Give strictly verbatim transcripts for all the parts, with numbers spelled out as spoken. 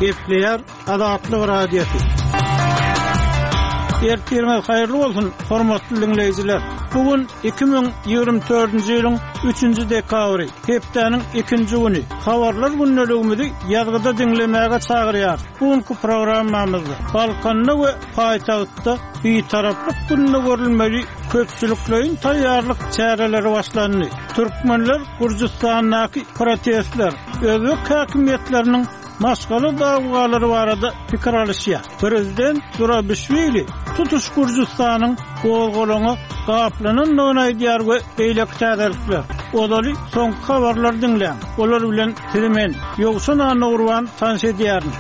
Gepleýär Azatlyk Radiosy. Ertiriňiz haýyrly bolsun, hormatly diňleýjiler. Bu gün iki müň ýigrimi dördünji ýylyň üçünji dekabry, hepdäniň ikinji güni. Habarlar gündeligimizi ýazgyda diňlemäge çagyrýarys. Bu günki programmamyzda Balkanda we paýtagtda Bitaraplyk gününe görülmeli köpçülikleýin taýýarlyk çäreleri başlandy. Türkmenler Gürjüstandaky protestler, özbek häkimiýetleriniň maşgala dawalary barada pikir alyşýar. Prezident Zurabişwili tutuş Gürjüstanyň gozgalaňa gaplanandygyny aýdýar we beýleki täzelikler. Ozaly soňky habarlary diňläň. Olar bilen sizi men, Ýowşan Annagurban tanyş edýärin.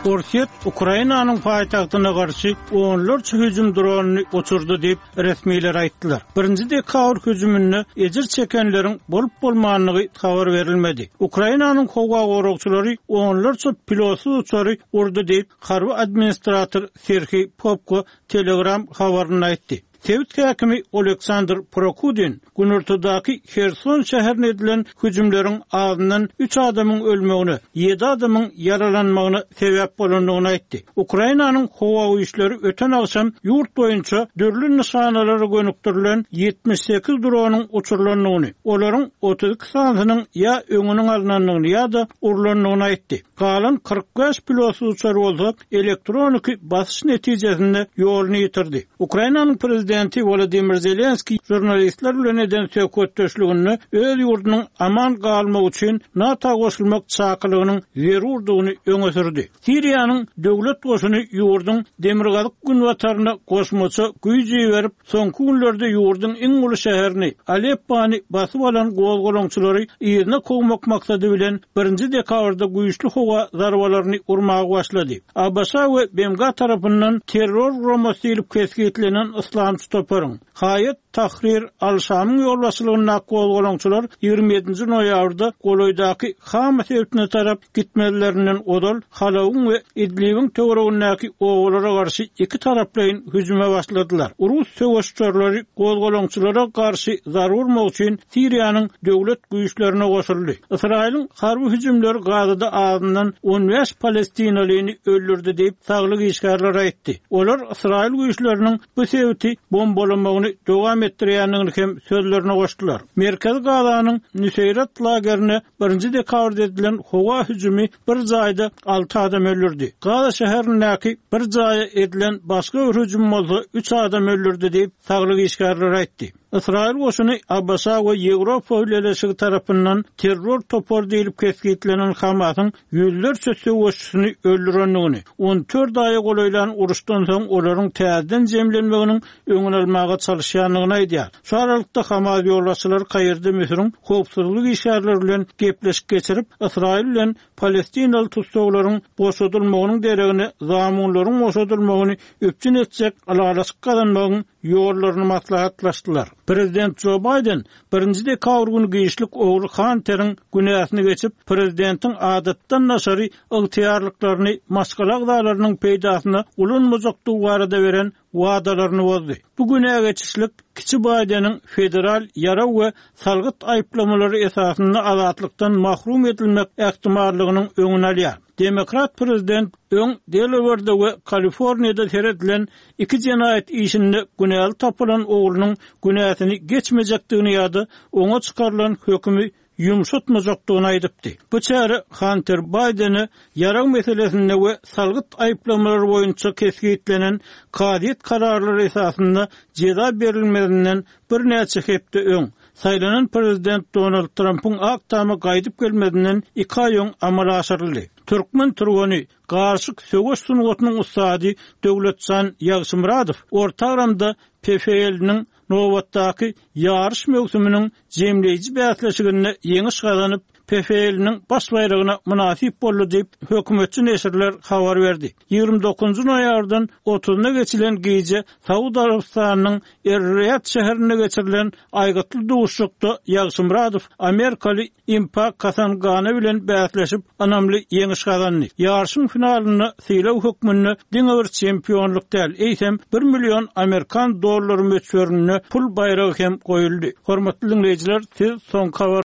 Orsýet Ukrainanyň paýtagtyna garşy onlarça hüjüm dronyny uçurdy diýip resmiler aýtdylar. Birinji dekabr hüjüminde ejir çekenleriň bolup bolmandygy habar berilmedi. Ukrainanyň howa goragçylary onlarça pilotsyz uçary urdy diýip harby administrator Serhiý Popko Telegram habarynda aýtdy. Sebit häkimi Oleksandr Prokudin Günortadaky Herson şäherine edilen hüjümleriň azyndan üç adamyň ölmegine, ýedi adamyň ýaralanmagyna sebäp bolandygyny aýtdy. Ukrainanyň howa güýçleri öten agşam ýurt boýunça dürli nyşanalara gönükdirilen ýetmiş sekiz dronyň uçurylandygyny, olaryň otuz iki sanysynyň ýa öňüniň alynandygyny ýa-da urlandygyny aýtdy. Galan kyrk bäş pilotsyz uçar bolsa elektroniki basyş netijesinde ýoluny ýitirdi. Ukrainanyň prezidenti Volodymyr Zelenskiý žurnalistler bilen eden söhbetdeşliginde öz ýurdunyň aman galmagy üçin NATO goşulmak çakylygynyň zerurdygyny öňe sürdi. Siriýanyň döwlet goşuny ýurduň demirgazyk günbataryna goşmaça güýç iberip, soňky günlerde ýurduň iň uly şäherini Aleppony basyp alan gozgalaňçylary yzyna kowmak maksady bilen birinji dekabrda güýçli howa zarbalaryny urmaga başlady. A B Ş we B M G tarapyndan terror guramasy diýlip kesgitlenen Islamçy toparyň Haýat Tahrir Al-Şamyň ýolbaşçylygyndaky gozgalaňçylar ýigrimi ýedinji noýabrda golaýdaky Hama sebitine tarap gitmelerinden ozal Halawyň we Idlibiň töweregindäki obalara garşy iki taraplaýyn hüjüme başladylar. Rus söweşçileri gozgalaňçylara garşy zarur urmak üçin Siriýanyň döwlet güýçlerine goşuldy. Ysraýylyň harby hüjümleri Gazada azyndan on bäş palestinalyny öldürdi diýip saglyk işgärleri aýtdy. Olar Ysraýyl güýçleriniň bu sebiti bombalamagyny dowam etdirýändigini hem sözlerine goşdular. Merkezi Gazanyň Nüseýrat lagerine birinji dekabrda edilen howa hüjümi bir jaýda alty adam öldürdi. Gaza şäherindäki bir jaýa edilen başga bir hüjüm bolsa üç adam öldürdi diýip saglyk işgärleri aýtdy. Ysraýyl goşuny A B Ş we Ýewropa Bileleşigi tarapyndan terror topary diýlip kesgitlenen Hamasyň ýüzlerçe söweşçisini öldürendigini, on dört aýa golaýlan uruşdan soň olaryň täzeden jemlenmeginiň öňüni almaga çalyşýandygyny aýdýar. Şu aralykda Hamas ýolbaşçylary Kaýirde Müsüriň howpsuzlyk işgärleri bilen gepleşik geçirip, Ysraýyl bilen Palestinaly tussaglaryň boşadylmagynyň deregine zamunlaryň boşadylmagyny üpjün etjek ylalaşyk gazanmagyň ýollaryny maslahatlaşdylar. Prezident Joe Biden birinji dekabr günü giçlik ogly Hunter'in günäsini geçip, prezidentiň adatdan daşary ygtyýarlyklaryny maşgala agzalarynyň peýdasyna ulanmajakdygy barada beren wadalaryny bozdy. Bu günä geçişlik kiçi Biden'iň federal ýaraw we salgyt aýyplamalary esasynda azatlykdan mahrum edilmek ähtimallygynyň öňüni alýar. Demokrat prezident öň Delaware'de we Kaliforniýada seredilen iki jenaýat işinde günäli tapylan oglunyň günäsini geçmejekdigini ýa-da oňa çykarylan hökümi ýumşatmajakdygyny aýdypdy. Bu çäre Hunter Biden'e ýarag meselesinde we salgyt aýyplamalary boýunça kesgitlenen kazyýet kararlary esasynda jeza berilmezinden birnäçe hepde öň saýlanan prezident Donald Trump'yň Ak Tama gaýdyp gelmezinden iki aý öň amala aşyryldy. Türkmen türgeni garşyk söweş sungatynyň ussady Döwletjan Ýagşymyradow Orta Agramda P F L-niň nobatdaky ýaryş möwsüminiň jemleýji bäsleşiginde ýeňiş gazanyp, P F L-niň baş baýragyna mynasyp boldy diýip hökümetçi neşirler habar berdi. Ýigrimi dokuzynjy noýabrdan otuzyna geçilen gije Saud Arabystanynyň Er-Riyad şäherinde geçirilen aýgytly duşuşykda Ýagşymyradow Amerikaly Impak Kasangana bilen bäsleşip ynamly ýeňiş gazandy. Ýaryşyň finalynda sylag hökmünde diňe bir çempionlyk däl, eýsem bir million Amerikan dollary möçberinde pul baýragy hem goýuldy. Hormatly dinleýjiler, siz soňky habar